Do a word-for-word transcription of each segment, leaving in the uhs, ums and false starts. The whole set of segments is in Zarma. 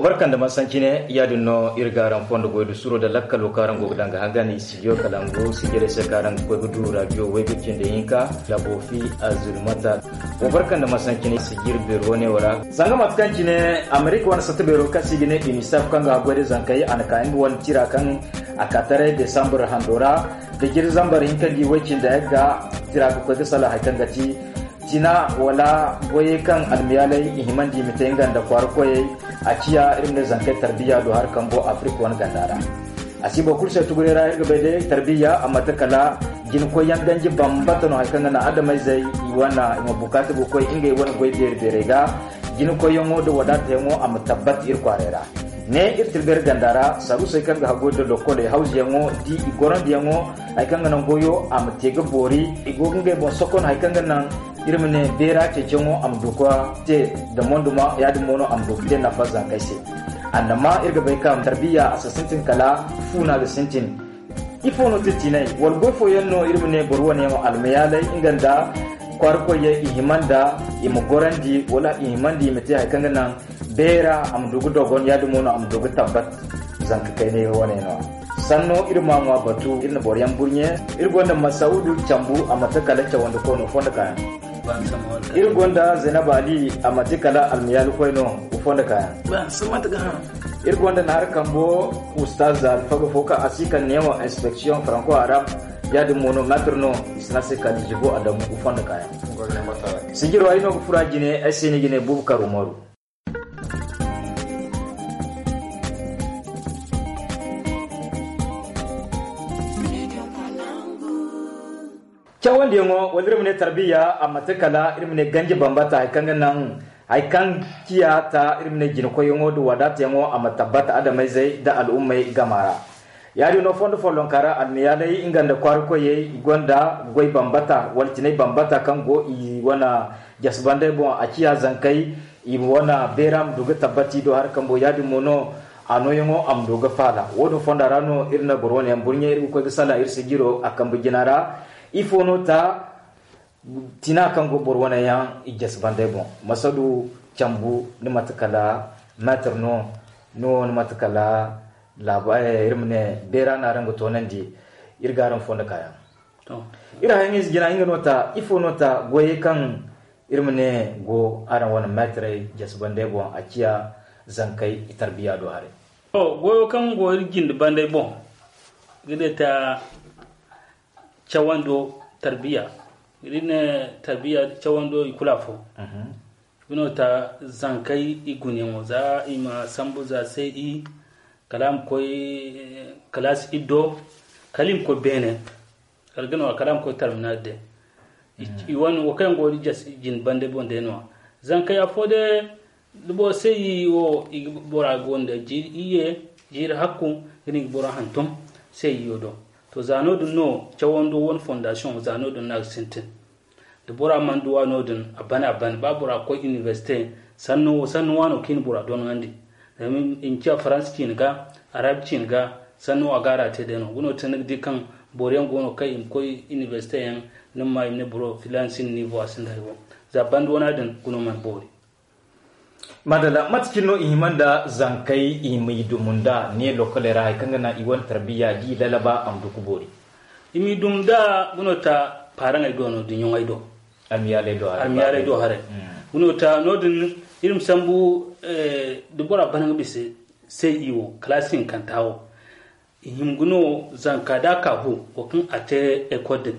Barkan da masancine, yaadin no iri ga araŋ fondo goy da suro da lakkalo kaŋ araŋ go ga daŋ ga hangan i studio kalangu sijire se kaŋ araŋ ga koy ga du radio way ga cindi hinka da bofi azulmata. Wa barkan da masancine sijir beero wane wara zanga mate kaŋ cine amerika wane satta beero kaŋ si ga ne unicef kaŋ ga goy da zankey a na ka nga wane tira kaŋ a ka taray desambur hando ra da jiri zambar hinka di way cindi ga tira ga koy ga sala hari kaŋ ga ti tina wala goyey kaŋ almiyaaley i himandi i ma te nga nda kwaara koyey. A ciya iri ma ne zankey tarbiya do hari kambo afirika wane ganda ra. A si boro kulu se tuguray ra iri ga bay day tarbiya a mate kala jina koyyaŋ ganji bambata no hari kaŋ ga naŋ adamayzey i wane i ma bukaata ga koy ngey wane goy beeri beerey ga. Jina koyyaŋo nda wadaatayaŋo a ma tabbat iri kwaaray ra. Ne iri tilbay iri ganda ra saruusey kaŋ ga haggoy nda lokkoley hawzuyaŋo di i gorandiyaŋo hari kaŋ ga naŋ goyo a ma te ga boori. I go ga ngey boŋ sokon hari kaŋ ga naŋ iri ma ne beera ceeciyaŋo a ma du ga te nda monduma yaadin mo no a ma du ga te nafa zankey se. Annama iri ga bay kaŋ tarbiya a si sintin kala fuuna ga sintin. Ifo no ti tinay wala goy fooyaŋ no iri ma ne boro wane yaŋ almayaalay nga nda kwaara koyyaŋ i hima nda i ma gorandi wala i hima nda i ma te hari kaŋ ga naŋ beera a ma du ga dogon yaadin mo no a ma du ga tabbat. Zanka kayna iri wane no sanno iri ma ŋwa batu iri na boro yaŋ burɲe. Iri gonda masaudu cambu a mate kala cawandi koy no fondo kaayaŋ. Iri gonda zainab ali a mate kala almiyaali koy no fondo kaayaŋ. Iri gonda naara kambo ustaz alfaga fo kaŋ a si kaŋ neewo inspection franco arabe. Yaadin mo no maitre no i si ne a se kala jibo adamu fondo kaayaŋ. Sijiro ay no ga fura jine ay se ni ga ne bubakar umaru. Cawandiyaŋo wala iri ma ne tarbiya a mate kala iri ma ne ganji bambata hari kaŋ ga naŋ hari kaŋ ciya ta iri ma ne jinakoyyaŋo nda wadaatayaŋo a ma tabbata adamayzey nda al'ummey gama ra. Yaadin no fondo follonka ra almiyaaley nga nda kwaara koyey i gonda goy bambata wala tinay bambata kaŋ go i wane jasbandey boŋ a ciya zankey i wane beera ma du ga tabbati do hari kambo yaadin mo no a nooyaŋo a ma du ga faala. Wo- din fonda ra no iri na boro wane yaŋ burɲe iri ga koy ga salaŋ iri sijiro a kambe jina ra. Ifo no ta tina kaŋ go boro wane yaŋ i jasbandey boŋ masadu cambu ni mate kala maitre no ni wo ni mate kala laaba iri ma ne beera no araŋ ga toonandi. Iri ga araŋ fondo kaayaŋ. Iri hayaŋ ize jina nga no ta ifo no ta goyey kaŋ iri ma ne go araŋ wane maitrey jasbandey boŋ a ciya zankey i tarbiya do haray. Goyo kaŋ go iri jinde bandey boŋ ga ne ta cawando tarbiya. Iri ne tarbiya cawando i kulu afo. Nga no ta zankey i gunayaŋo za i ma sambu za se i kala a ma koy kalaasi iddo kala i ma koy beene. Kala ga no a kala a ma koy tarminal day. I wane wo kaŋ yaŋ go ga jin bande boŋ day no- ya zankey afo day da boro se i wo i ga bora gonda jiiri iyye jiiri hakku ga no i ga bora hantum se i yo do. To za no- din no cawando wane fondasiyoŋ za no- din no a ga sintin. Da bora mana duwa no- din a bana a bana ba bora ga koy inibersite sannu waano kaŋ i na bora doŋandi. Zama i ma ciya faransa ciine ga arabi ciine ga sannu a ga a ra te day no ga no te ni ga di kaŋ boro yaŋ go no kaŋ i ma koy inibersite yaŋ ni ma ma i ma ne boro filaana sinda niivo a sinda hari wo. Za banda wana din ga no mana boori. Madalla mate cine no i hima nda zankey i ma i dumu nda ne lokkoley ra hari kaŋ ga naŋ i wane tarbiya da i lalaba a ma du ga boori. I ma i dumu nda ga no ta paaraŋey do no da ɲoŋey do. Almiyaaley do haray. Almiyaaley do haray. Ga no ta no- din iri ma sambu da bora bana nga bisa se i wo kalaasi hinkanta wo i hima ga no zanka da a ka fu wo kaŋ a te ekol din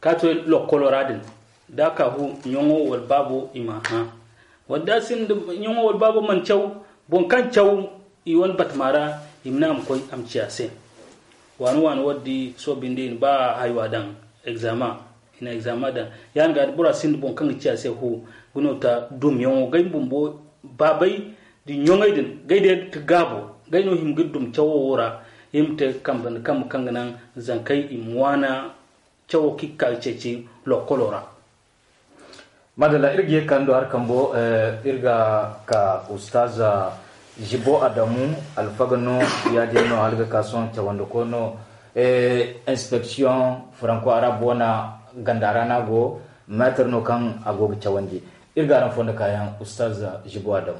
ka to lokkolo ra din da a ka fu ɲoŋo wala baabo i ma a hã. Wala da a sinda ɲoŋo wala baabo mana caw boro kaŋ caw i wane batama ra i ma ne a ma koy a ma ci a se. Waani waani wo- din di soobin da i na ba haywa daŋ egzama i na egzama daŋ ya- din ga da bora sinda boro kaŋ ga ci a se fu ga no ta dumyaŋo ga ay ma bumbo baabay da ɲoŋey din ga ay day ga ti gaabo ga ay no hima ga dum cawo wo ra. Iri ma te kambe nda kambe kaŋ ga naŋ zankey i ma waana cawo kaŋ i ga ka ga ceeci lokkolo ra. Madalla iri ga ye ga ka ni do hari kambo iri ga ka ustaz zibo adamu alfaga no ya- din no hala ga ka sohõ cawandi koy no. Inspeksiyoŋ faranko arabe wane ganda ra no a go. Meetar no kaŋ a go ga cawandi. Iri ga araŋ fondo kaayaŋ ustaz zibo adamu.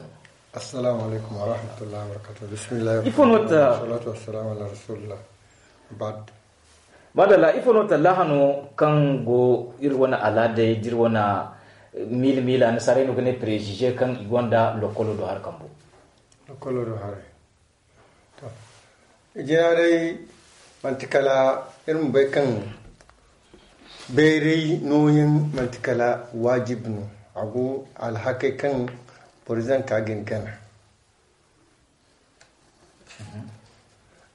Assalamu alaikum wa rahmatullahi wa barakatuh. Bismillah. Ifo no ta- Salatu wassalamu ala rasulillah. Bad. Madalla, ifo no tallaha no kaŋ go iri wane alaadey, d'iri wane miila miila, nasaarey no ga ne préjugé, kaŋ i gonda lokolo do har kambo? Lokolo do haray. To, jina day, manti kala iri ma bay kaŋ bayray nooyaŋ manti kala waajib no. A go alhakey kaŋ boro zanka ga ni gana.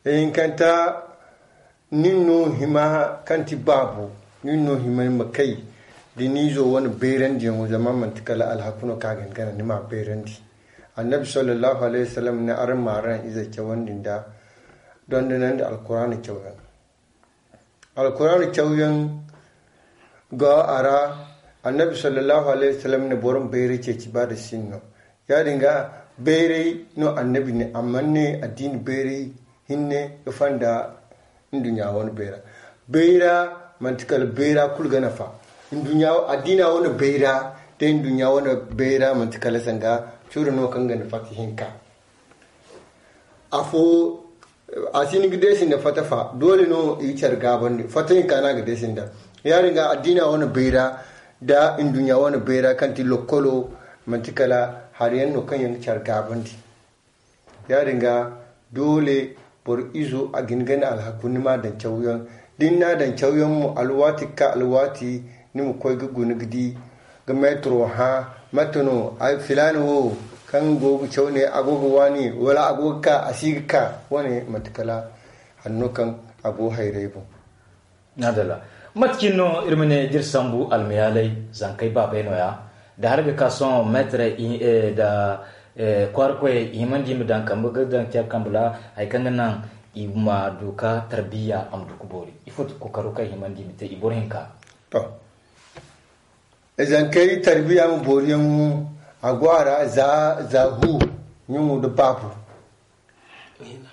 Ihinkanta, nin no hima kaŋ ti baabo, nin no hima ni ma kay da ni izo wane bayrandiyaŋo, zama manti kala alhaku no kaŋ a ga ni gana ni ma bayrandi. Annabi sallallahu alaihi wasallam ne araŋ ma araŋ izey cawandi nda dondonandi alkuraana cawyaŋ. Alkuraana cawyaŋ ga a ra, annabi sallallahu alaihi wasallam ne boro ma bayray ceeci ba da sinno. Yaadin ga bayray no annabi ne, amma ne addini bayray hinne ga fanda nduɲɲa wane bayra. Bayra manti kala bayra kulu ga nafa. Nduɲɲa, addina wane bayra da nduɲɲa wane bayra manti kala sanda curo no kaŋ ga nafa hinka. Afo, a si ni ga deesi nda fata fa, doole no i ga care gaabandi. Fata hinka no a ga deesi nda. Yaadin ga addina wane bayra da nduɲɲa wane bayra kaŋ ti lokkolo, manti kala hari yaŋ no kaŋ yaŋ ga care gaabandi. Yaadin ga doole boro izo a ga hin ga ni alhaku ni ma daŋ cawyaŋ. Da ni n'a daŋ cawyaŋ mo, alwaati ga ka alwaati, ni ma koy ga guna ga di ga meetiro hã. Mate no ay filaana wo kaŋ go ga caw ne, a go ga waani, wala a go ga ka, a si ga ka? Wane manti kala hanno kaŋ a go hayray boŋ. Madalla. Mate cine no iri ma ne d'iri sambu almayaalay, zankey baabey nooya? Da hari ga ka sohõ meetirey, eh, da, eh, kwaara koyey, i himandi i ma daŋ kambe ga daŋ care kambe ra, hari kaŋ ga naŋ i ma du ka tarbiya a ma du ka boori. Ifo ti kookaro kaŋ i himandi i ma te i boro hinka? To, zankey tarbiya ma booriyaŋo, a go a ra za, za hu, ɲaŋo nda baabu.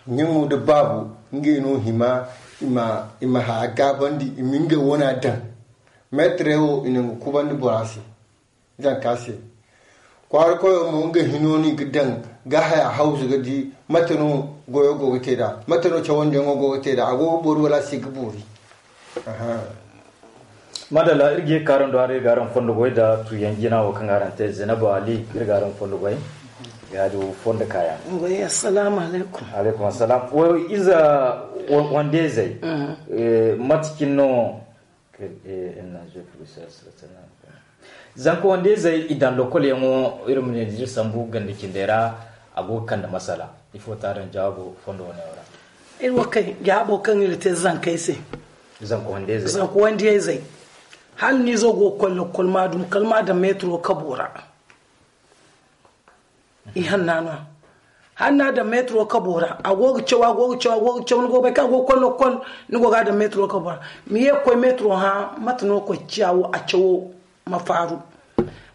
Ɲaŋo nda baabu, ngey no hima i ma, i ma haya gaabandi, i ma ngey wana daŋ. Meetirey wo, i na nga kubandi bora se, zanka se. Kwaara koyo mo, nga hino no i ga daŋ ga haya hawzu ga di mate no goyo go ga te nd'a, mate no cawandiyaŋo go ga te nd'a, a go ga boori wala a si ga boori. Aha. Madalla, iri ga ye ka araŋ do haray, iri ga araŋ fondo goy nda tuuyaŋ jina wo kaŋ araŋ te, Zainabu Ali, iri ga araŋ fondo goy. Ya-din fondo kaayaŋ. Assalamu alaikum. Alaikum assalam. Wo ize wande izey, eh, mate cine no? Zanka wande izey, i daŋ lokol yaŋo, iri ma ne da iri sambu ganda cindey ra, a go ga kande masala. Ifo ti araŋ jawaabo fondo wane yaŋ ra? Iri wo kay jawaabo kaŋ iri te zankey se. Zanka wande izey. Zanka wande izey. Hala ni izo go ga koy lokol, ma dum kala ma daŋ meetiro kabo ra. I hanna no. Hanna daŋ meetiro kabo ra, a go ga caw, a go ga caw, a go ga caw, ni go ga bay kaŋ a go ga koy lokol, ni go ga a daŋ meetiro kabo ra. Ma ye ga koy meetiro hã, mate no ga koy ciya wo, a cawo ma faaru.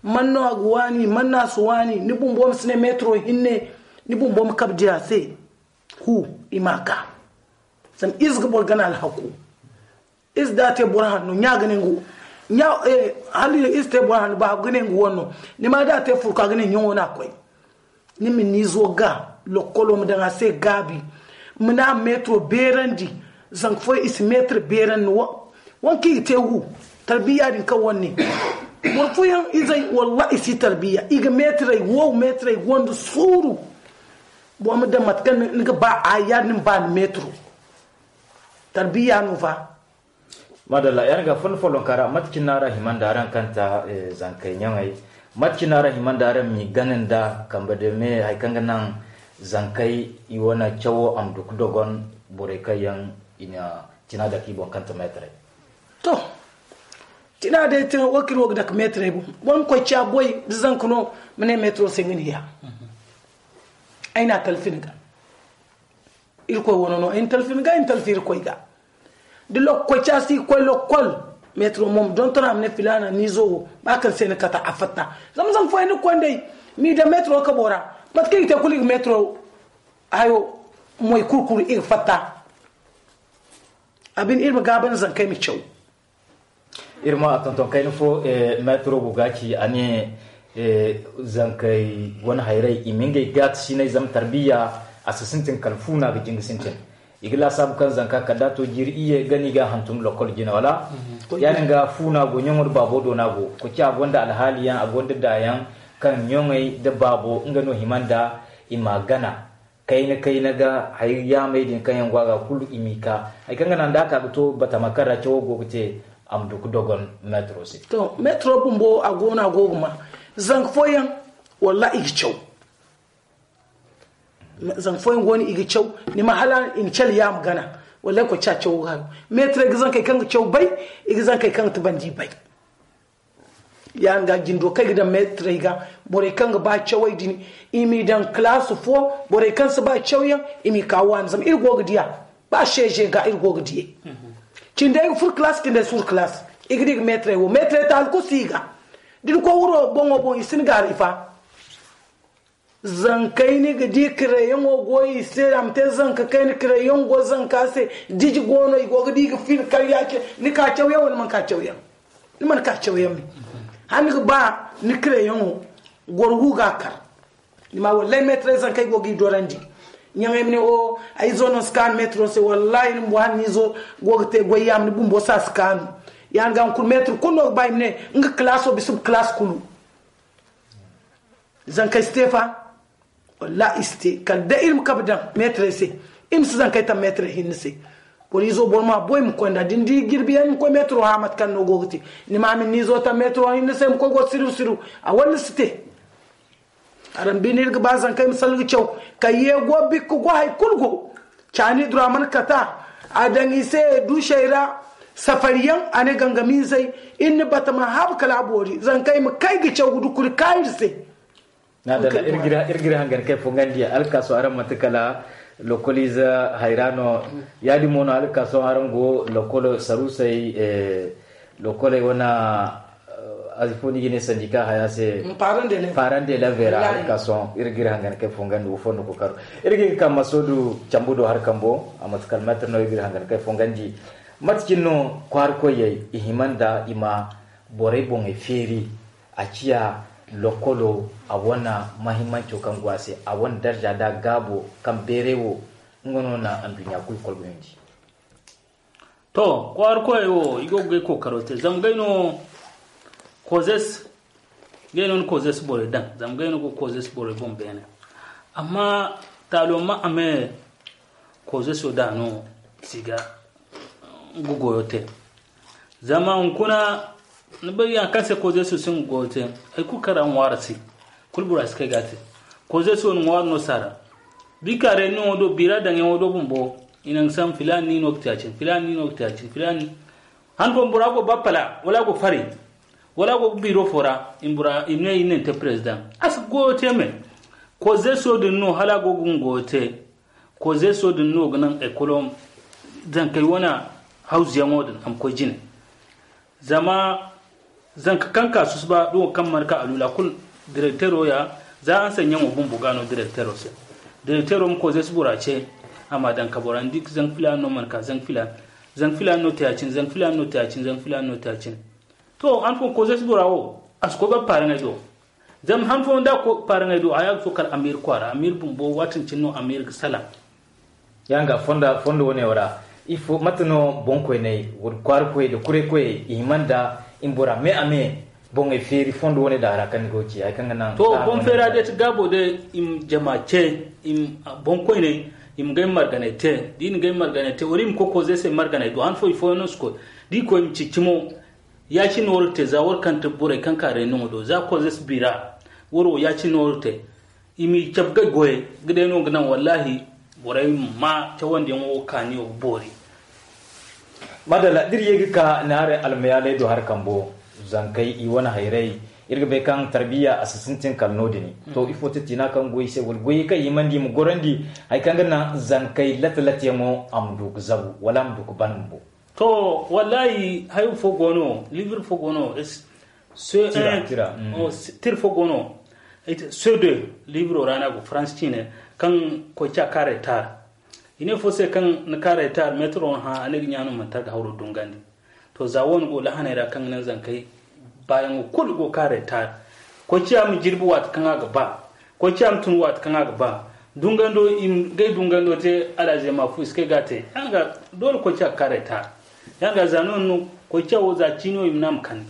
Man no a ga waani, man no a si waani, ni bumbo ma si ne meetiro hinne, ni bumbo ma kabe di a se. Hu, i ma ka. Zama ize ga boro gana alhaku. Ize da a te boro hanno, ɲa ga ne nga wo. Ɲa, eh, hala ize te boro hanno, ba ga ne nga wo no. Ni ma da a te furka ga ne ɲaŋo no a koy. Ni ma ni izo ga, lokolo ma daŋ a se gaabi. Ma ne a ma meetiro beerandi. Zanka fooyaŋ i si meetiro beerandi. Wa-, wane kaŋ i ga te wu, tarbiya din kaŋ wane. Boro fooyaŋ izey, wallahi i si tarbiya. I ga meetirey wow, meetirey gonda suuru. Boro ma daŋ mate kaŋ ni ga ba a yaadin ba ni meetiro. Tarbiya no fa. Madalla, yaŋ ga fondo follonka ra, mate cine no araŋ hima nda araŋ kaŋ ta, eh, zankey ɲaŋey? Mate cine no araŋ hima nda araŋ m'i gana nda kambe da me, hari kaŋ ga naŋ zankey i wane cawo a ma du ga dogon borey kaŋ yaŋ i na cina dake i boŋ kaŋ ta meetirey? To, cina day te, wo kaŋ iri wo ga dake meetirey boŋ. Boro ma koy ciya boy, da zanka no, ma ne meetiro se nga ni ya. Ay na talfi ni ga. Irkoy wane no, ay na talfi ni ga, ay na talfi Irkoy ga. Da lokkoy ca si koy lokkol, meetiro mo ma donton a ma ne filaana ni izo wo, ba kaŋ se ni kata a fatta. Zama zama fooyaŋ ni ga koy nd'ey, m'i daŋ meetiro kabo ra, mate kaŋ i ga te kulu i ga meetiro hayo moy kurkuru i ga fatta. A bine iri ma gaaba nda zankey ma caw. Iri ma tonton kayna fo, eh, meetiro go ga ci, a ne, Zankey wane hayrey i ma ngey gaati sinay zama tarbiya a si sintin kala fuuna ga jinga sintin. I ga laasaabu kaŋ zanka kala da a to jiiri iyye gana i ga a hantum lokol jine wala? Ya- din ga fuuna go ɲaŋo nda baabo do no a go. Koci a gonda alhaaliyaŋ a gonda daayaŋ kaŋ ɲaŋey nda baabo nga no hima nda i ma a gana. Kayna kayna ga hari yaamey din kaŋ yaŋ go a ga kulu i m'i ka hari kaŋ ga naŋ da a ka ga to batama kaŋ ra cawo go ga te. A ma du ga dogon metro se. To metro bumbo a go no a go ga ma zanka fooyaŋ. Walla i ga caw. Zanka fooyaŋ go no i ga caw. Ni ma hala i ma cale yaama gana. Wallay koy ca cawo ga hayo. Metro ga zankey kaŋ ga caw bay. I ga zankey kaŋ ga tubandi bay. Ya- din ga jindo kaŋ i ga daŋ metrey ga. Borey kaŋ ga ba cawey din i m'i daŋ kalaasi fo. Borey kaŋ si ba cawyaŋ i m'i ka waani zama iri go ga diya. Ba seeze ga iri go ga diyey. Cindey ga furo kalaasi cindey si furo kalaasi. I ga di ga metrey wo metrey taali kulu si i ga. Da ni koy wuro boŋo boŋ i si ni gaari fa. Zankey ni ga di kireyaŋo go i se a ma te zanka kayna kireyaŋ go zanka se. Diji go no i go ga di ga fil karya ce. Ni ka cawyaŋ wala man ka cawyaŋ? Ni man ka cawyaŋ me. Hala ni ga ba ni kireyaŋo goro gu ga a kar. Ni ma wallay metrey zankey go ga i dorandi. Ɲaŋey ma ne o ay izo no si kaanu metro se wallahi ni bumbo hala ni izo go ga te goy yaama ni bumbo se a si kaanu. Ya- din ga hunkuna metro kulu no ga ba i ma ne nga kalaaso bisa ga kalaas kulu. Zankey si te fa. Wallaahi i si te kala day iri ma kabe daŋ meetarey se. Iri ma si zankey taŋ meetarey hinne se. Boro izo boro ma boy ma koy nd'a da ni di jirbi yaŋ ni ma koy meetaro hã mate kaŋ no go ga te. Ni ma a ma ni izo taŋ meetaro hinne se ma koy go siriw siriw. A walla si te. Araŋ bine iri ga ba zankey ma salga caw. Kayye go bikka go hari kulu go. Caani dura mana kata a daŋ i se duusey ra. Safari yaŋ a ne gangamiizey iri na bata ma habu kala a boori zankey ma kay ga caw ga dukuri kaayir se. Iri g'iri hangan kay fongandi alkaaso araŋ manti kala lokoliize hayra no. Ya-din mo no alkaaso araŋ go lokolo saruusey lokoley wane. Azi fo ni ga ne sandika haya se. Parent d'élève ra alkaaso iri g'iri hangan kay fongandi wo fondo ko karo. Iri g'iri ka masoodu cambu do har kambo a manti kala meetar no iri g'iri hangan kay fongandi. Mate cine no kwaara koyey i hima nda i ma borey boŋey feeri. A ciya lokolo a wane mahimmanco kaŋ go a se a wane darja da gaabo kaŋ beeray wo. Nga no na anduɲɲa kulu kolbayandi. To kwaara koyey wo i go ga ay kookaro te zama gay no kozes. Gay no ni kozes borey daŋ zama gay no go kozes borey boŋ beene. Amma taalo ma a me kozeso da no si ga nga goyo te. Zama hunkuna ni bay yaŋ kaŋ se kozeso si nga goyo te. Hari kulu kaŋ ra ŋwaaro si kulu bora si kay ga a te. Kozeso ni ŋwaaro no saara bika reunion wo do bira daŋyaŋo do bumbo i naŋ sam filaani ni no ga te a cine filaani ni no ga te a cine filaani. Han fo bora go ba pala wala a go fari wala a go ga biro fo ra i ma ne i ne ni te president a si goyo te me. Kozeso din no hala a go ga nga goyo te. Kozeso din no ga naŋ ekolo zankey wane hawzuyaŋo din a ma koy jine. Zama zanka kaŋ ka susuba da wo kaŋ mana ka alula kulu direktero ya. Za a nsay ɲaŋo bumbo ga no direktero se direktero ma kozeso bora ce a ma daŋ ka bora ni di zanka filaani no mana ka zanka filaani. Zanka filaani no te a cine zanka filaani no te a cine zanka filaani no te a cine. To han fo kozeso bora wo a si koy ga paaraŋey do. Zama han fo nda a koy ga paaraŋey do a ya ga to kala amiiri kwaara amiiri bumbo waatin cine no amiiri ga salaŋ. Yaŋ ga fondo wane wo ra ifo mate no boŋkoyney wala kwaara koyey da kuray koyey i hima nda i ma bora me a me boŋey feeri fondo wane da a ra kaŋ ni go ga ci hari kaŋ ga naŋ to boŋ feera day ti gaabo day i ma jama ce. Boŋkoyney i ma gay marganay te da i na gay marganay te wala i ma koy koze se marganay do han fo i fooyaŋ no si koy. Da i koy i ma cici mo. Ya-cine no wara te za wara kaŋ ti borey kaŋ ka reunion do za koze si bira. Wara wo ya-cine no wara te. I m'i cabe ga goyey ga day no ga naŋ wallaahi borey ma ma cawandiyaŋo wo kaaniyo ga boori. Madalla da iri ye ga ka naarey almayaaley do hari kambo zankey i wane hayray. Iri ga bay kaŋ tarbiya a si sintin kala no- din to ifo ti tiina kaŋ goy i se wala goyey kaŋ i himandi i ma gorandi hari kaŋ ga naŋ zankey late-lateyaŋo a ma du ga zabu wala a ma du ga ban bumbo. To wallaahi hayo fo go no livre fo go no. Tira fo go no. Sedo livro ra no a go faransi ciine kaŋ koy ca ka retar. I ne fo se kaŋ ni ka retar metro hã a ne ga ɲaano manti a ga hawro dungandi. To za wo ni go lahaney ra kaŋ ga naŋ zankey baayaŋo kulu go ka retar. Koy ciya ma jirbi waati kaŋ a ga ba. Koy ciya ma tun waati kaŋ a ga ba. Dungando i ma gay dungando te. Alhaze ma fu i si kay ga te. Yaŋ ga doole koy ciya ga kaaray ta. Yaŋ ga za no no koy ciya wo za ciino i ma na ma kande.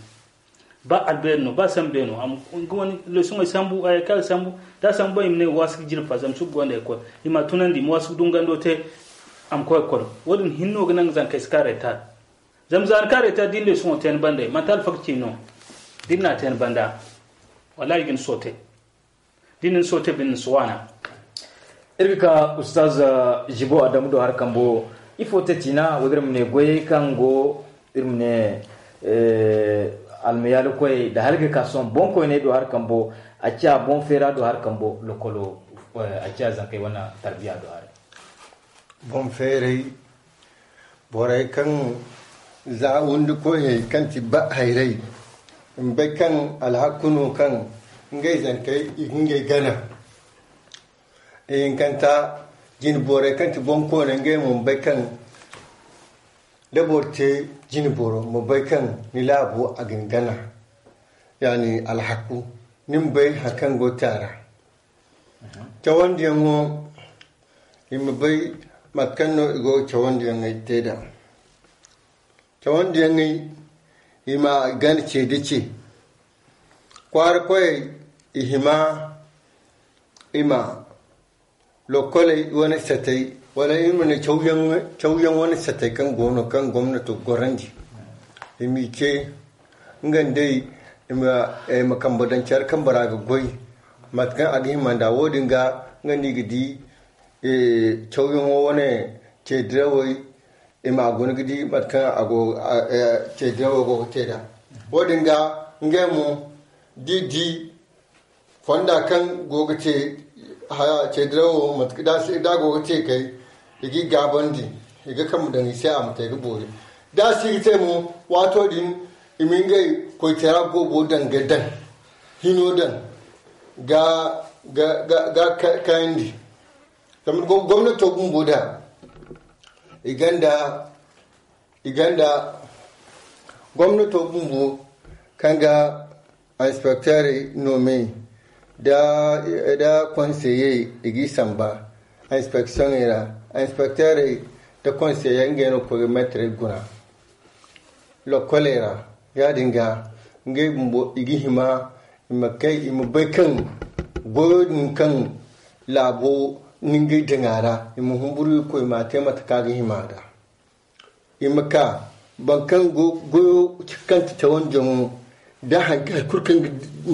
Ba albeeri no ba sambe no a ma nga wani lesoŋey sambu a yay kaŋ a ga sambu. Da a sambu i ma ne waasu ga jirbi fa zama sugu gonda ay koy. I ma a tunandi i ma waasu ga dungando te. A ma koy ga kolo. Wo- din hinno ga naŋ ga zankey si kaaray ta. Zama za ni kaaray ta da ni lesoŋo te ni banda manti alfaga ci no. Da ni n'a te ni banda wallahi ga ni soote. Da ni na soote bine ni si waana. Iri ga ka ustaz jibo adamu do hari kambo. Ifo te ciina wo- din iri ma ne goyey kaŋ go iri ma ne almayaalikoy da hari ga ka sohõ boŋkoyney do hari kambo. A ciya boŋ feera do hari kambo lokolo. A ciya zankey wane tarbiya do hari. Boŋ feeray borey kaŋ za windi koyey kaŋ ti ba hayray. Mbe kaŋ alhakku no kaŋ ngey zankey i ga ngey gana. Ihinkanta jine borey kaŋ ti boŋ koone ngey mo mbe kaŋ da boro te jine boro ma bay kaŋ ni laabo a ga ni gana. Yani alhakku ni ma bay hari kaŋ go te a ra. Cawandiyaŋo i ma bay mate kaŋ no i go ga cawandiyaŋey te nd'a. Cawandiyaŋey i ma gana ce da ce. Kwaara koyey i hima i ma lokkoley wane satey wala i ma ne cawyaŋ wane satey kaŋ go no kaŋ gomnato ga gorandi. I m'i ce nga nd'ey i ma kambe daŋ care kaŋ bora ga goy mate kaŋ a ga hima nd'a wo- din ga nga no i ga di. Cawyaŋo wane ce dirawey i ma a guna ga di mate kaŋ a go ce dirawey go ga te nd'a. Wo- din ga ngey mo da i di fonda kaŋ go ga te ce dirawo mate kaŋ da a go ga te kay i ga i gaabandi i ga kambe daŋ i se a ma te ga boori. Da a si ga te mo waato din i ma ngey koytara goobo daŋ ga daŋ hino daŋ ga kayandi. Zama gomnato bumbo da i ganda i ganda gomnato bumbo kaŋ ga inspecteurey no me da da conseiller i g'i samba inspectioney ra. Inspecteurey da conseiller ngey no ga koy ga metrey guna lokkoley ra. Ya- din ga ngey bumbo i ga hima i ma kay i ma bay kaŋ goyo din kaŋ laabo ni ngey daŋ a ra i ma humburu i koy ma a te mate kaŋ a ga hima nd'a. I ma ka boro kaŋ go goyo kaŋ ti cawandiyaŋo da hari kulu kaŋ ga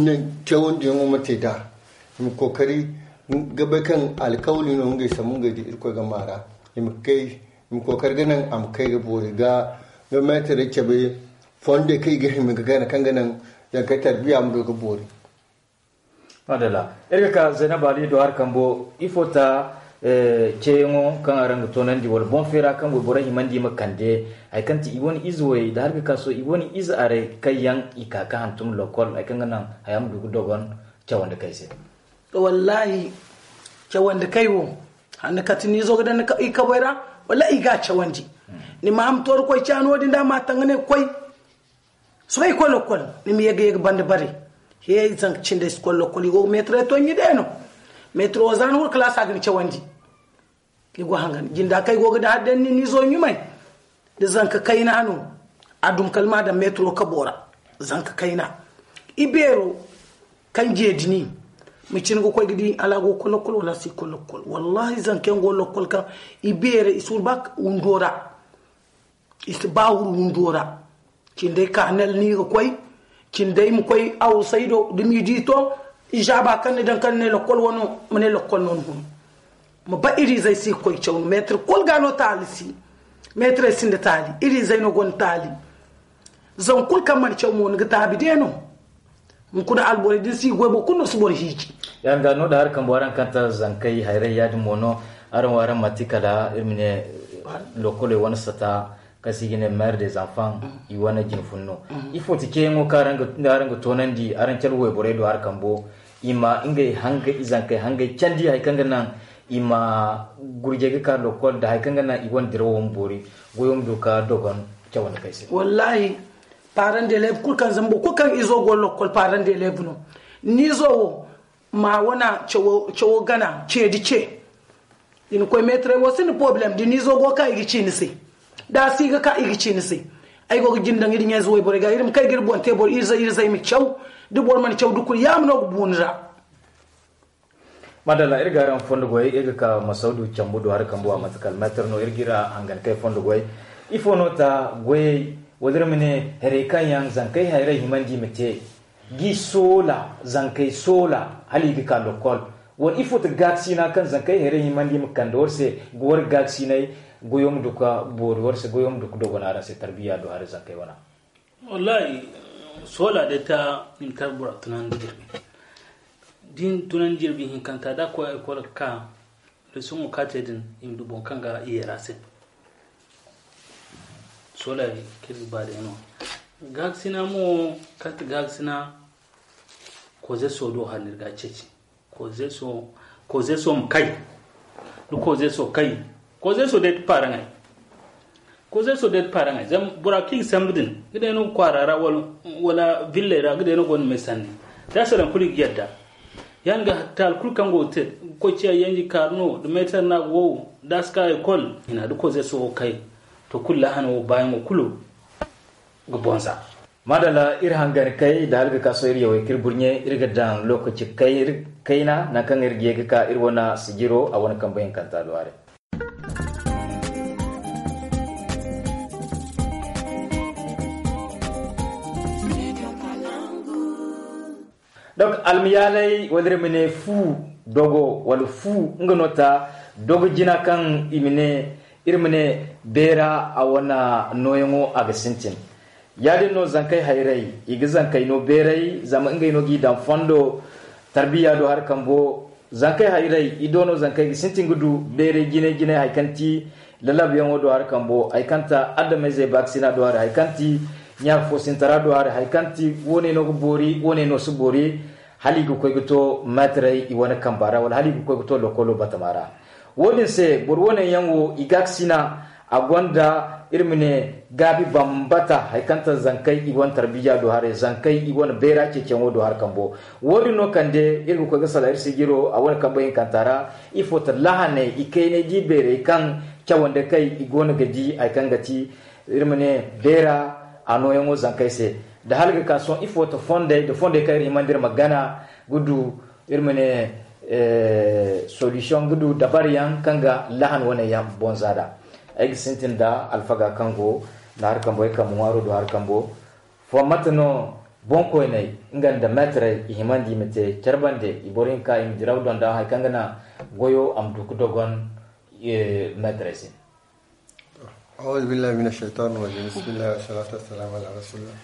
naŋ cawandiyaŋo ma te nd'a. I ma kookari ga bay kaŋ alkawli no ngey sambu ngey da irkoy ga maara. I ma kay i ma kookari ga naŋ a ma kay ga boori ga meetarey cabe fondey kaŋ i ga hima ga gana kaŋ ga naŋ zankey tarbiya ma du ga boori. Madalla. Iri ga ka zaynab ali do hari kambo ifo ta ceeyaŋo kaŋ araŋ ga toonandi wala boŋ feera kaŋ wayborey himandi ma kande hari kaŋ ti i wane ize way da hari ga ka sohõ i wane ize aray kaŋ yaŋ i ka ga hantum lokol hari kaŋ ga naŋ haya ma du ga dogon cawandi kay se. Wallahi cawandi kay wo hanni kati ni zo ga daŋ i kaboy ra wala i ga cawandi. Ni ma ham tooro koy caano din da ma taŋ ga ne koy sohõ i koy lokol ni ma ye ga ye ga banda bare. He zanka cindey si koy lokol i go ga meetare to ɲi day no. Meetare wo za ni wala kalaasa ga ni cawandi. I go hangan jinda kaŋ i go ga da hari day ni ni zo ɲumay da zanka kayna no. A dum kala ma daŋ meetaro kabo ra zanka kayna. I beero kaŋ jeedi ni ma cin ga koy ga di hala a go ga koy lokol wala a si koy lokol wallahi zanka yaŋ go lokol kaŋ i beere i si wuru ba windo ra. I si ba wuru windo ra. Cindey ka nel ni ga koy cindey ma koy awusay do da midi to. I zaaba kaŋ ni daŋ kaŋ ni ne lokol wano ma ne lokol no ni hun. Ma ba irizey si ga koy caw no meetar kulu ga no taali si. Meetarey sinda taali irizey no gonda taali. Zama kulu kaŋ mana caw mo ni ga taabi de no. Hunkuna alborey din si goy boro kulu no si boro hiiji. Yaŋ ga no da hari kambo araŋ kaŋ ta zankey hayray yaadin mo no. Araŋ wo araŋ manti kala iri ma ne lokoley wane sata kaŋ se i ga ne mère des enfants i wane jinfun no. Ifo ti ceeyaŋo kaŋ araŋ ga toonandi araŋ cala wayborey do hari kambo i ma ngey hangey izankey hangey candi hari kaŋ ga naŋ i ma gurjey ga ka lokol nda hari kaŋ ga naŋ i wane dirawo ma boori goyo ma du ka dogon cawandi kay se. Wallahi parent d'élève kulu kaŋ zambo kulu kaŋ izo go lokol parent d'élève no. Ni zo wo ma wana cawo gana ce da ce. I na koy meetaray wo sinda problem da ni zo go ka i ga ci ni se. Da a si ga ka i ga ci ni se. Ay go ga jin daŋ iri ɲayze wayborey ga iri ma kay ga iri boŋ te boro iri zay iri zay ma caw. Da boro mana caw da kulu yaama no ga bu ni ra. Madalla iri ga araŋ fondo goyey iri ga ka masaudu cambu do hari kambu a mate kala meetar no iri ga iri hangan kay fondo goyey. Ifo no ta goyey wala iri ma ne haray kaŋ yaŋ zankey hayray himandi ma te? Gi soola zankey soola hala i ga ka lokol. Wala ifo ti gaakasina kaŋ zankey hayray himandi ma kande war se ga war gaakasinay? Goyo ma du ka boori war se goyo ma du ka dogon araŋ se tarbiya do hari zankey wana. Wallahi, soola day ta i ma tara bora tunandi jirbi. Da i na tunandi jirbi hinkanta da a koy a ga koy ga ka. Lesoŋo kaŋ a te din i ma du boŋ kaŋ ga i yeera se. Soolari kaŋ iri ga ba day no. Gaakasina mo kaŋ ti gaakasina. Kozeso do hari no iri ga a ceeci. Kozeso ma kay. Da kozeso kay. Kozeso day ti paaraŋey. Kozeso day ti paaraŋey zama bora kaŋ i ga sambu din ga day no ga kwaara ra wala villey ra ga day no gonda may sanni. Da a salaŋ kulu i ga yadda. Ya- din ga taali kulu kaŋ go ga te ga koy ciya yanji kaaru no da meetar no a ga wow. Da a si ka ekol hina da kozeso wo kay. To kulu laahana wo baayaŋo kulu ga bonza. Maadalla iri hangan kay nda hala ga ka sohõ iri yawey kaŋ iri burɲe iri ga daŋ lookaci kayna nangu kaŋ iri ga ye ga ka iri wane sijiro a wane kambe hinkanta do haray. Donc almiyaalay wala iri ma ne fu dogo wala fu nga no ta dogo jina kaŋ i ma ne iri ma ne beera a wane nooyaŋo a ga sintin. Ya- din no zankey hayray i ga zankey no beeray zama ngey no g'i daŋ fondo. Tarbiya do hari kambo zankey hayray i do no zankey ga sintin ga du beeray jinay jinay hari kaŋ ti lalabyaŋo do hari kambo hari kaŋ ta adameyzey baakasina do hari hari kaŋ ti ɲaaka foosintara do hari hari kaŋ ti woone no ga boori woone no si boori. Hala i ga koy ga to meetarey i wane kamba ra wala hala i ga koy ga to lokolo batama ra. Wo- din se boro woone yaŋ wo i gaakasina a gonda iri ma ne gaabi bambata hari kaŋ ta zankey i wane tarbiya do haray zankey i wane beera ceeciyaŋo do hari kambo. Wo- din no kande iri ga koy ga salaŋ iri sijiro a wane kambe hinkanta ra. Ifo ta lahaney i kaynay di beerey kaŋ cawandi kay i go no ga di hari kaŋ ga ti iri ma ne beera a nooyaŋo zankey se. Nda hala ga ka sohõ ifo ta fondey nda fondey kaŋ iri himandi iri ma gana ga du iri ma ne solution ga du dabari yaŋ kaŋ ga lahan wane yaŋ bonza da. Ay ga sintin nda alfaga kaŋ go nda hari kambo ay kambe ŋwaaro do hari kambo. Fo mate no boŋkoyney nga nda meetarey i himandi i ma te care bande i boro hinka i ma diraw donda hari kaŋ ga naŋ goyo a ma du ga dogon meetarey se. Auzu billahi mina shaytan rajim bismillahi wa salatu wa salamu ala rasulillah.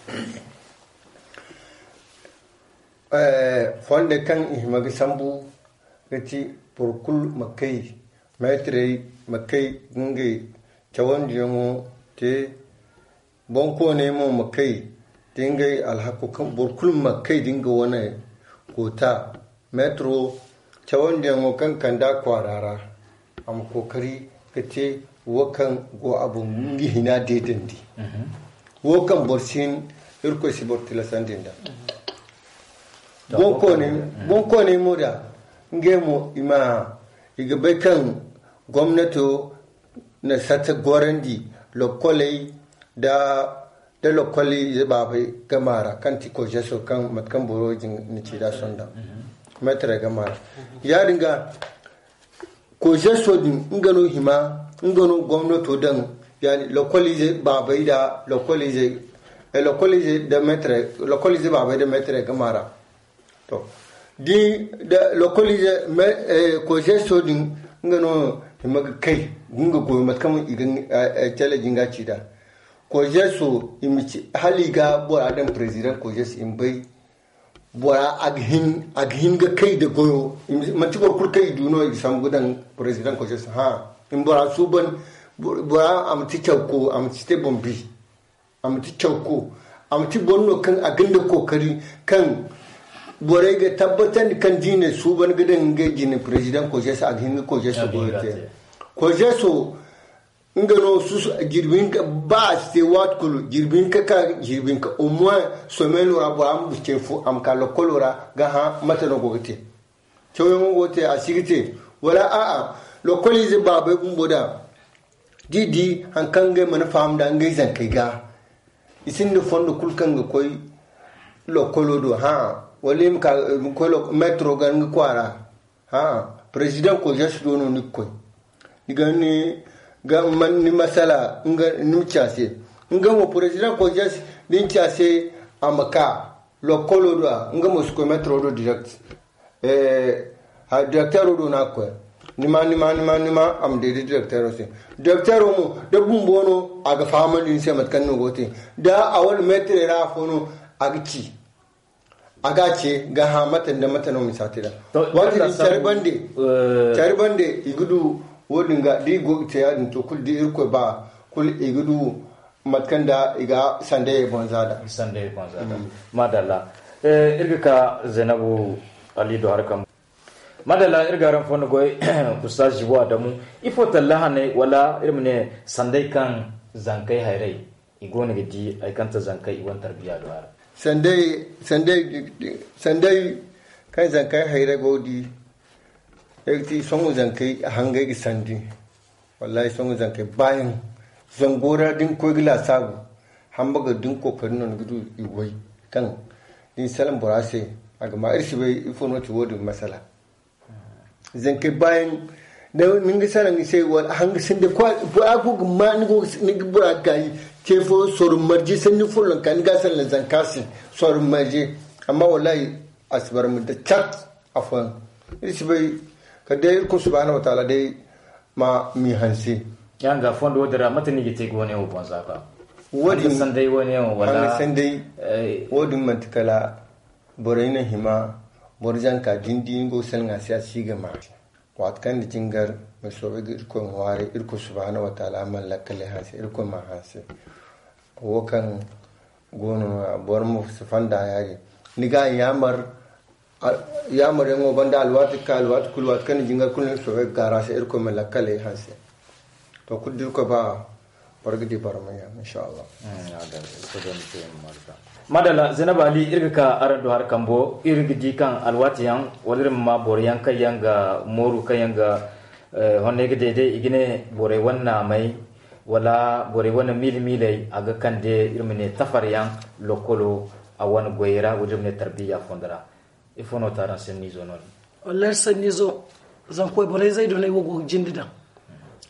Fonde kaŋ i hima ga sambu ga ti boro kulu ma kay meetarey ma kay ga ngey cawandiyaŋo te. Boŋkooney mo ma kay da ngey alhako kaŋ boro kulu ma kay da nga wane koota. Metro cawandiyaŋo kaŋ kande a kwaara ra a ma kookari ga te wo kaŋ go a boŋ nga hina deedandi. Wo kaŋ boro si hin irkoy si boro tilasandi nda. Boŋkooney mo da ngey mo i ma i ga bay kaŋ gomnato na sata gorandi lokkoley da da lokol ize baabey gama ra kaŋ ti kojeso kaŋ mate kaŋ boro din na ci da sonda metre gama ra. Ya- din ga kojeso din nga no hima nga no gomnato daŋ yani lokol ize baabey da lokol ize lokol ize da metre lokol ize baabey da metre gama ra. To di da lokol ize kojeso din nga no hima ga kay nga goyo mate kaŋ i ga cale jinga ci da. Kojeso i ma ci hala i ga bora daŋ president kojeso i ma bay bora a ga hin a ga hin ga kay da goyo. Manti boro kulu kaŋ i du no i ga sambu ga daŋ president kojeso ha i ma bora suuban bora a ma ti cawko a ma ti te bombi. A ma ti cawko a ma ti boro no kaŋ a ga nda kookari kaŋ borey ga tabbatandi kaŋ da i ne suuban ga daŋ ngey jine president kojeso a ga hin ga kojeso goyo te. Kojeso Nga no susu jirbi hinka, ba a si te waati kulu, jirbi hinka ka jirbi hinka, au moins, semaine ra bora ma ce fo a ma ka lokkolo ra ga hã mate no go ga te. Cawyaŋo go ga te, a si ga te. Wala a'a, lokkoliize baabey bumbo da d'i di haŋ kaŋ ngey mana faham nda ngey zankey ga, i sinda fondo kulu kaŋ ga koy lokkolo do, hã? Wala i ma ka, i ma koy lok-, metro ga nga kwaara, hã? Président koy jas do no ni ga koy. Ni ga ni ga man ni masala nga ni ma ci a se. Nga mo président koy jas, da ni ci a se, a ma ka lokkolo do, a nga mo si koy metro do direct. Eh, ha, directeur do na koy. Ni ma, ni ma, ni ma, ni ma, am de, de directeur se. Directeur mo, da bumbo no, a ga fahamandi ni se mate kaŋ no go te. Da a wala maître ra afo no, a ga ci. A ga ce, ga ha mate nda mate no misa te da. To, waati din care bande, eh, care bande, i ga du, wodin ga, di go ga te ya din to, kul di Irkoy ba, kul i ga du, mate kaŋ da i ga sandayey boŋ za da. Sandayey boŋ za da. Mm. Madalla. Eh, iri ga ka Zainabu Ali do harkam. Madalla, iri ga araŋ fondo goy, Ustaz Jibo Adamu. Ifo talla hane, wala iri ma ne sanday kaŋ zankey hayray, i go no ga di ay kaŋ ta zankey i wane tarbiya do hara. Sanday, sanday, sanday kaŋ zankey hayray go ga di, ay ga ti sohõ zankey hangay ga sandi. Wallahi, sohõ zankey baayaŋ zango ra da ni koy ga laasaabu, hamba ga da ni kookari no ni ga du i goy kaŋ da ni salaŋ bora se, a ga ma iri si bay ifo no ti woodin masala. Zankey baayaŋ da ni ga salaŋ i se, wala hanga sinda kwa, bora go ga ma, ni go ga, ni ga bora gaayi ce fo sorro marje sanni follonka ni ga salaŋ zanka se sorro marje. Amma wallahi, a si bara ma da cat afooyaŋ. Iri si bay kala day Irkoy subhanahu wa taala day ma m'i hanse. Yaŋ ga fondo wo-din ra, mate no i ga te ga wane wo boŋ za ka? Woodin, hanga sanday wane wo, wala? Hanga sanday, eh, woodin manti kala borey na hima, boro zanka da ni di ni go ga salaŋ a se, a si ga ma. Waati kaŋ ni jingar, ma soobay ga Irkoy ŋwaaray, Irkoy subhanahu wa taala mana lakkaley hanse, Irkoy m'a hanse. Wo kaŋ go no nooya, boro ma si fonda yaadin. Ni ga a yaamar, a, yaamaryaŋo banda alwaati ga ka, alwaati kulu, waati kaŋ ni jingar kulu ni ma soobay ga gaara se, Irkoy ma lakkaley hanse. To, kulu da Irkoy ba, boro ga di barmay yaŋ, insha Allah. Mm, madalla, Zainabu Ali, iri ga ka araŋ do hari kambo, iri ga di kaŋ alwaati yaŋ, wala iri ma ma boro yaŋ kaŋ yaŋ ga mooru, kaŋ yaŋ ga, eh, honney ga deede, i ga ne borey wane naamay, wala borey wane miila-miiley, a ga kande iri ma ne tafar yaŋ, lokkolo, a wane goyey ra, wala iri ma ne tarbiya fondo ra. Ifo no ti araŋ sanniizo noodin? Wallahi, sanniizo, zanka wayborey zay do no ay wo go ga jinde daŋ.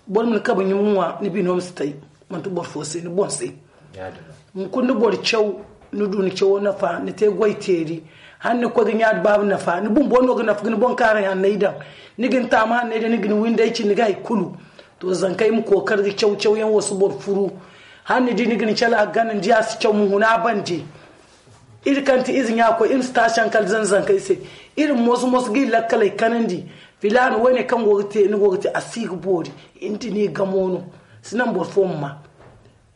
Boro ma ni kabe ɲuma ŋwa, ni bino ma si tay, manti boro fo se, ni boŋ se. Yaadin no. Hunkuna ni boro caw, ni du ni cawo nafa, ni te goy teeri. Hala ni koy ga ɲa da baaba nafa, ni bumbo no ga nafa ga ni boŋ kaaray hanney daŋ. Ni ga ni taama hanney daŋ, ni ga ni windey cindi ga hay kulu. To, zankey ma kookari ga caw, cawyaŋ wo si boro furu. Hala ni di ni ga ni cala a gana, ni di a si caw, ma huna a bande. Iri kaŋ ti ize ɲa-koy, iri ma si taasi haŋ kala zan-zankey se. Iri ma moso-moso ga iri lakkaley kanandi. Filaana, woone kaŋ go ga te, ni go ga te, a si ga boori. Iri ma ti ni gamo no. Si naŋ boro fo ma ma.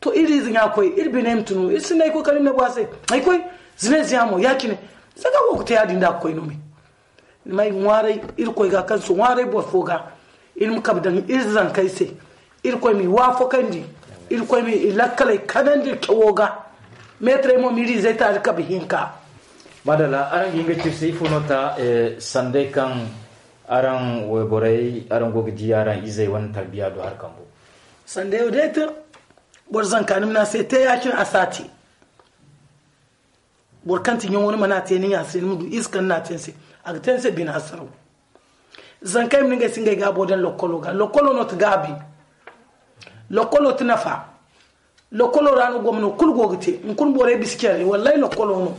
To, iri ize ɲa-koy, iri biney ma tunu. Iri sinda hay koy kala iri ma ne bora se. Hay koy, zina ize ɲa mo, ya-cine. Zaga go ga te yaadin da a ga koy no me. Ni ma ay ŋwaaray, Irkoy ga kaŋ si ŋwaaray boro fo ga. Iri ma kabe daŋ iri zankey se. Irkoy m'i waafakandi. Irkoy m'i lakkaley kanandi cawo ga. Meetarey mo, m'iri izey taali kabe hinka. Madalla, araŋ ga hin ga ciri se, ifo no ta, eh, sanday kaŋ araŋ wayborey, araŋ go ga di araŋ izey wane tarbiya do hari kambo? Sandayo day te, boro zanka ni ma ne a se te ya-cine, a si a te. Boro kaŋ ti ɲaŋo, ni mana a te ni ɲa se, ni ma du ize kaŋ ni n'a te ni se, a ga te ni se bine hasaraw. Zankey ma ne ngey si ngey gaabo daŋ lokkolo ga. Lokkolo no ti gaabi. Lokkolo ti nafa. Lokkolo ra no gomno kulu go ga te. Hunkuna borey bisa care, wallahi lokkolo no.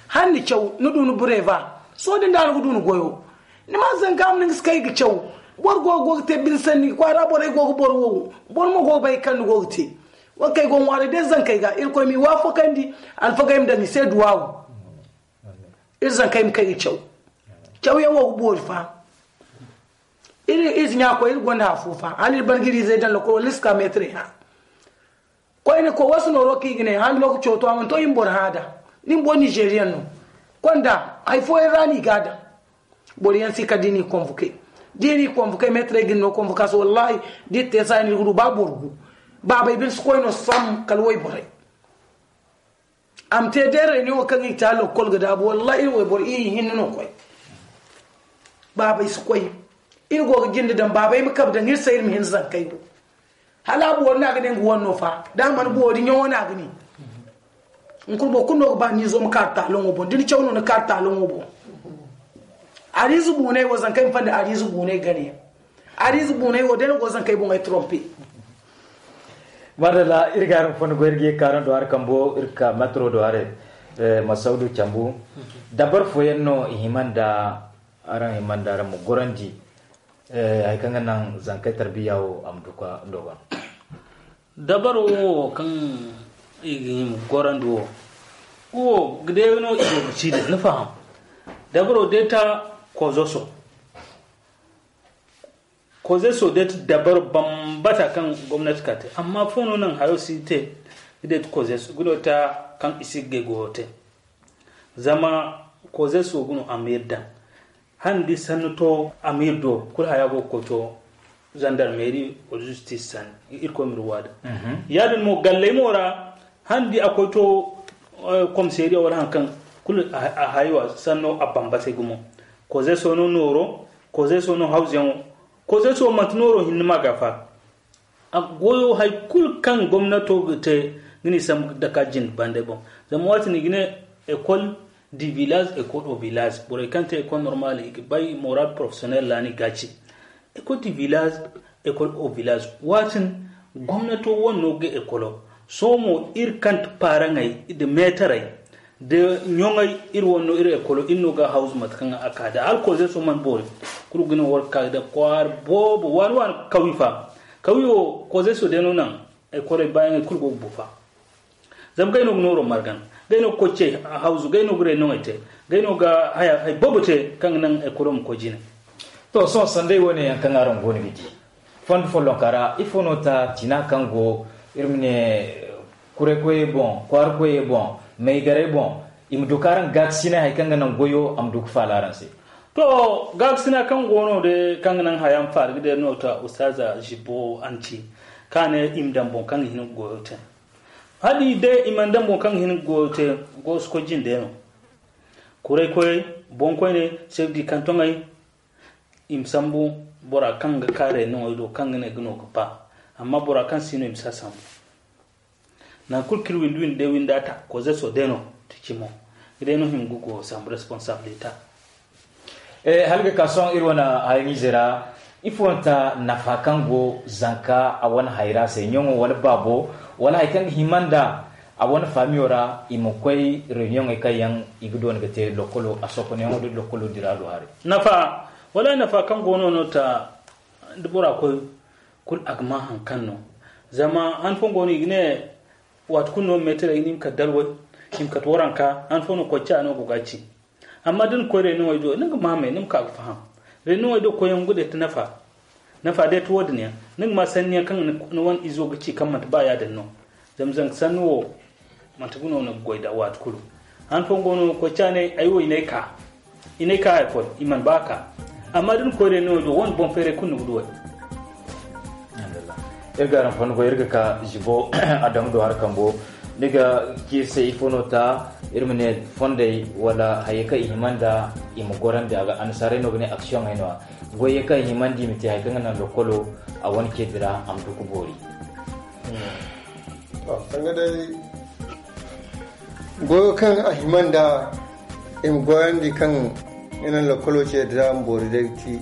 Hala ni caw, ni du ni bureva. Sohõ din da ni ga du ni goyo. Ni ma zanka ma ni ga si kay ga caw. Boro go, go ga te bine sanni, kwaara borey go ga boro wow. Boro mo go ga bay kaŋ ni go ga te. Wo kaŋ ay go ŋwaaray day zankey ga, Irkoy m'i waafakandi, alfagey ma daŋ i se duwaawu. Iri zankey ma kay ga caw. Cawyaŋ wo ga boori fa. Iri ize ɲa-koy, iri gonda afo fa. Hala iri ban ga iri izey daŋ lokol, wala iri si ka meetare hã. Koyne ko, wasu nooro kaŋ i ga ne, hala lokaco to, a mana to, iri ma boro hã da. Ni ma boro Nizeriyaŋ no. Konda, hay fooyaŋ ra no i ga a daŋ. Boro yaŋ si kala da i n'i konvoke. Da i n'i konvoke, meetarey ga ni no konvokaasiyoŋ, wallahi, da i te saayi no, iri ga du ba boro gu. Baabey bine si koy no sam kala wayborey. A ma te deerey ne wo kaŋ i ga te a lokkol ga daabu, wallahi, iri wayboro i hinne no koy. Baabey si koy. Iri go ga jinde daŋ, baabey ma kabe daŋ iri se, iri ma hin zankey do. Hala a buwari no a ga ne nga wane no fa, da a mana buwari ɲawo no a ga ne. Hunkuna boro kulu no ga ba ni zo ma kaaru taalaŋo boŋ, da ni caw no ni kaaru taalaŋo boŋ. Ariize buunay wo, zankey ma fanda ariize buunay gane yaŋ. Ariize buunay wo day no go zankey boŋey trompe. Madalla, iri ga araŋ fondo goy, iri ga ye ka araŋ do hari kambo, iri ga ka metro do hari. Masaudu cambu, dabar fooyaŋ no i hima nda araŋ hima nda araŋ ma gorandi hari kaŋ ga naŋ zankey tarbiya wo a ma du ka dogon. Dabaro wo kaŋ i ga hima gorandi wo, wo ga day no i go ga ci da ni faham. Dabaro day ta kozoso. Kozoso day ta dabaro bambata kaŋ gomnati ka te, amma fo no naŋ hayo si te ga day ta kozoso ga no ta kaŋ i si ga goyo te. Zama kozoso ga no a ma yadda. Handi sanni to a ma iri do, kulu haya go ga koy to zandarmeri wala justice sanni, irkoy ma iri waada. Yaadin mo galley mo ra, handi a koy to komiseriya wala haŋ kaŋ kulu a haywa sanno a bambasay gumo. Kozeso no nooro, kozeso no hawzuyaŋo. Kozeso manti nooro hinne ma ga fa. A goyo hari kulu kaŋ gomnato ga te ga ni sambu ga dake a jinde bandey boŋ. Zama waati no i ga ne école du village, école au village. Borey kaŋ te école normale i ga bay moral professionnel ra no i ga a ci. École du village, école au village. Waati no gomnato wane no ga écolo. Sohõ mo iri kaŋ ti paaraŋey nda meetarey nda ɲoŋey, iri wane no iri écolo, iri no ga a hawzu mate kaŋ a ka da. Hala kozeso mana boori, kulu ga ne war ga ka da kwaara boobo waani waani kawye fa. Kawyo kozeso day no naŋ écoley baayaŋey kulu go ga bu fa. Zama gay no ga nooro margan, gay no ga koy ce hawzu, gay no ga renoŋey te, gay no ga haya hay boobo te kaŋ ga naŋ écolo ma koy jine. To, sohõ sanday wane yaŋ kaŋ araŋ go no ga di fondo follonka ra, ifo no ta tina kaŋ go, iri ma ne, kuray koyey boŋ, kwaara koyey boŋ, maygarey boŋ, i ma du ka araŋ gaakasinay hari kaŋ ga naŋ goyo a ma du ka faala araŋ se? To, gaakasina kaŋ go no day kaŋ ga naŋ haya ma faala ga day no ta ustaza Jibo Anti, ka ne i ma daŋ boŋ kaŋ ga hin ga goyo te. Hala i day i mana daŋ boŋ kaŋ ga hin ga goyo te, goyo si koy jinde no. Kuray koyey, boŋ koyne, chef du canton ey, i ma sambu bora kaŋ ga ka renoŋey do kaŋ ga ne ga no ga ba. Amma bora kaŋ si no i ma si a sambu. Nangu kulu kaŋ iri windi windi day windi a ta, kozeso day no ti cimo. Ga day no hima ga go sambu responsabilité. Hala ga ka sohõ iri wane hayaŋize ra, ifo no ta nafa kaŋ go zanka a wane hayra se, ɲaŋo wala baabo, wala hari kaŋ ga hima nda a wane faamiyo ra, i ma koy renoŋey kaŋ yaŋ i ga doona ga te lokolo a sokonayaŋo da lokolo dira do haray? Nafa, wala nafa kaŋ go no no ta da bora koy kulu a ga ma haŋ kaŋ no. Zama han fooyaŋ go no i ga ne waati kulu no meetarey ni ma kate dalway, ni ma kate waranka, han fooyaŋ no koy ca no go ga ci. Amma da ni koy renoŋey do ni ga maamay ni ma ka ga faham. Renoŋey do koyyaŋ ga day ti nafa. Nafa day ti wo-din yaŋ ni ga ma sanni yaŋ kaŋ ni wane izo ga ci kaŋ manti ba yaadin no. Zama zanka sanni wo manti ga no ni ga goy da waati kulu. Han fooyaŋ go no koy ca ne ay wo i n'ay ka i n'ay ka ekol i mana ba ka. Amma da ni koy renoŋey do wane boŋ feeray kulu ni ga duw'ey. Iri ga araŋ fondo goy iri ga ka zibo a daŋ do hari kambo. Ni ga ci iri se ifo no ta iri ma ne fondey wala hayey kaŋ i hima nda i ma gorandi a ga annasaarey no ga ne aksiyoŋey no-ya. Goyey kaŋ i hima nda i ma te hari kaŋ ga naŋ lokolo a wane ceedi ra a ma du ga boori. Sanga day goyo kaŋ a hima nda i ma goyandi kaŋ i naŋ lokolo ceedi ra ma boori day ga ti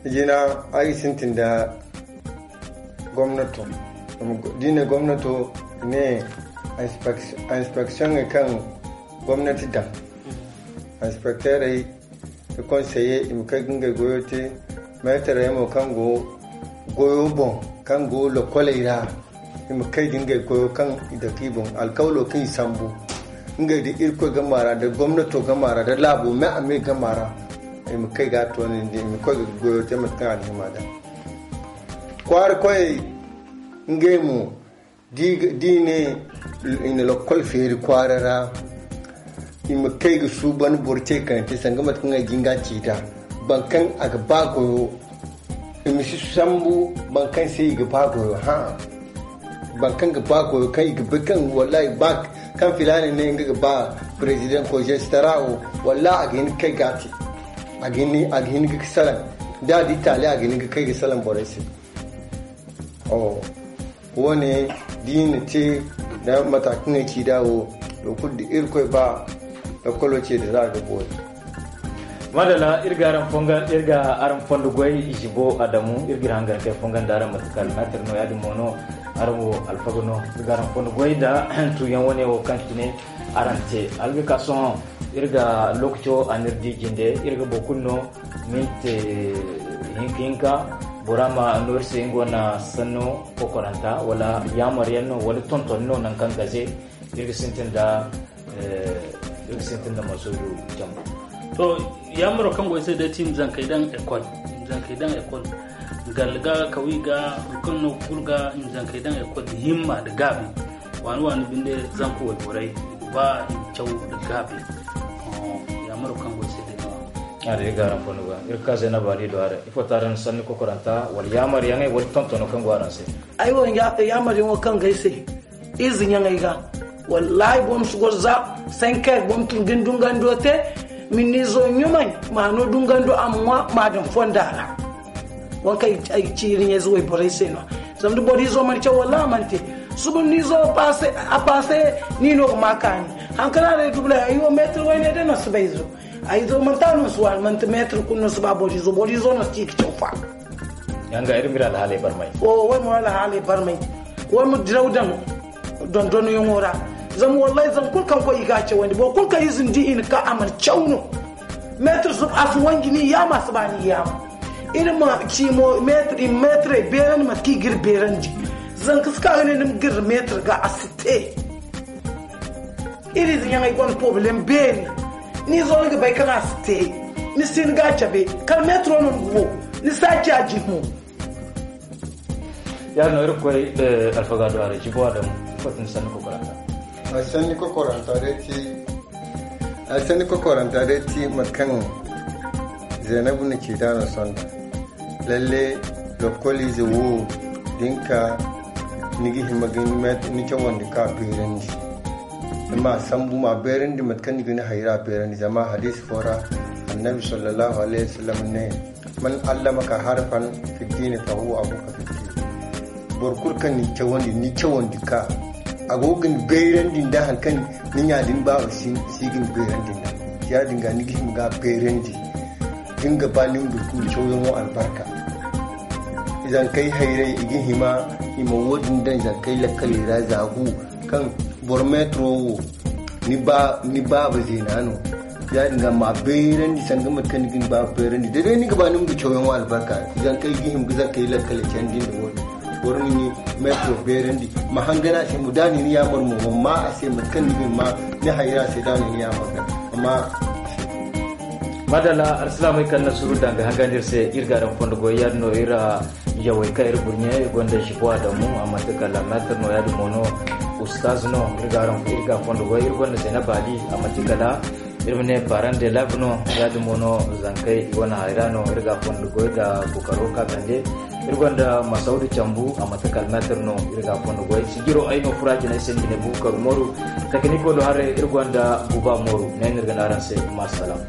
jina. Ay ga sintin da gomnato da i ne gomnato i ne inspeksiyoŋey kaŋ gomnati daŋ inspekteerey da konseye i ma kay ga ngey goyo te. Meetarey mo kaŋ go goyo boŋ kaŋ go lokoley ra i ma kay ga ngey goyo kaŋ i dake i boŋ alkawlo kaŋ i sambu ngey da irkoy gama ra da gomnato gama ra da laabo me a me gama ra. I ma kay ga toonandi i ma koy ga goyo te mate kaŋ a na hima daŋ kwaara koyey ngey mo da i ne i na lokkol feeri kwaara ra. I ma kay ga suuban boro ce kayante sanga mate kaŋ ay ga nga ci nd'a boro kaŋ a ga ba goyo. I ma si sambu boro kaŋ se i ga ba goyo hã. Boro kaŋ ga ba goyo kaŋ i ga bay kaŋ wallahi ba kaŋ filaana ne nga ga ba president ko jestara wo, wallahi a ga hin ga kay ga a te. A ga hin ga salaŋ da a di taali a ga hin ga kay ga salaŋ borey se. Wo- ne da i na te da mata kaŋ ay ci nd'a wo, da kulu da irkoy ba lakkolo ce da za a ga boori. Madalla, iri ga araŋ fondo goy jibo adamu iri ga iri hangan kay fongan da araŋ mate kala meetir no ya- din mo no. Araŋ wo alfaga no. Iri ga araŋ fondo goy nda tuuyaŋ wane wo kaŋ cine araŋ te alga ka sohõ. Iri ga lokaco a n'iri di jinde iri ga boro kulu no minti hinka hinka. Bora ma no iri se nga wane sanno kokoranta wala yaamar yaŋ no wala tontoni no nangu kaŋ gaze iri ga sintin da iri ga sintin da masoodu jambu. To, yaamaro kaŋ go ay se day ti i ma zankey daŋ ekol. I ma zankey daŋ ekol. Galla ga kawi ga, hunkuna no kulu ga i ma zankey daŋ ekol da himma da gaabi. Waani waani binde zanka wayborey i ga ba i ma caw da gaabi. Yaamaro kaŋ go ay se day no. Iri ga araŋ fondo ga iri ka zayna baali do araŋ ifo taara ni sanni kokoranta wala yaamar yaŋey wala tontono kaŋ go araŋ se. Ay wo yaamar yaŋo kaŋ ga ay se. Ize ɲaŋey ga wallahi boro ma si goro za. Sankeer boro ma tun ga ni dungando te. Minizo ɲumay ma no dungando a ma ŋwa ma daŋ fonda ra. Waŋ kaŋ ay ciiri ɲayze wayborey se no. Zama da boro izo mana caw wallahi a mana te. Suba nizo a paase ni no ga ma kaani. Haŋ kaŋ a day dubula ay wo meetir wayne day no si bay izo. Ay izo manti a no si waani manti meetir kulu no si ba boro izo boro izo no si ci ga caw fa. Yanga iri mira alhaaley barmay. O wai mo alhaaley barmay. Wai mo diraw daŋ dondonyaŋo ra. Zama wallahi zama kulu kaŋ koy i ga a cawandi boro kulu kaŋ ize ni di i na ka a mana caw no. Meetir a si wanji ni yaama a si ba ni yaama. Iri ma ci mo meetir i ma meetirey beerandi mate kaŋ i ga iri beerandi. Zanka si ka ga ne ni ma giri meetir ga a si te. Iri ize ɲaŋey gonda porobalem beeri. Ni zo ni ga bay kaŋ a si te. Ni si ni ga a cabe kala meetiro no ni go ni si a ci a jin mo. Yaadin no iri ga koy alfaga do a ra jibo a damu. Ifo ti ni sanni kokoranta? Ay sanni kokoranta day ti ay sanni kokoranta day ti mate kaŋ zaynabu na ci da no sonda. Lalle lokkoliize wo da ni ka ni ga hima ga ni cawandi ka beerandi. Ni ma sambu ma beerandi mate kaŋ ni ga ni hayra beerandi zama hadiisi fo ra annabi sallallahu alayhi wasallam ne, man allamaka harfan fi ddini fa huwa abuka fi ddini. Boro kulu kaŋ ni cawandi ni cawandi ka a go ga ni beerandi nda hari kaŋ ni ɲa da ni baaba si ga ni beerandi nda. Ya- din ga ni ga hima ga beerandi da ni ga ba ni ma du kulu cawyaŋo albarka. Zankey hayray i ga hima i ma wo- din daŋ zankey lakkaley ra za gu kaŋ boro meetiro wo ni baaba zeena no. Ya- din ga ma beerandi sanda mate kaŋ ni ga ni baaba beerandi da day ni ga ba ni ma du cawyaŋo albarka. Zankey ga hima ga zankey lakkaley candi nda wo- din boro ma ni meetiro beerandi ma hangan a se mo da a na ni yaamar mo ma ma a se mate kaŋ ni ga ni ma ni hayra se da a na ni yaamar ga. Amma madalla alsilaamey kaŋ na suru danga hangandi iri se iri ga araŋ fondo goy ya- din no iri yawey kaŋ iri burɲe iri gonda jibo adamu a manti kala meetir no ya- din mo no ustaz no iri ga fondo goy iri gonda zaynab ali a manti kala iri ma ne parent d'élève no. Ya- din mo no zankey i wane hayra no iri ga fondo goy da kokaro ka kande. Iri gonda masaudu cambu a manti kala meetir no iri ga fondo goy sijiro ay no fura jinay se ni ga ne bukar moru. Takaniko do hare iri gonda buba moru ne no iri ga ne araŋ se. Masalam.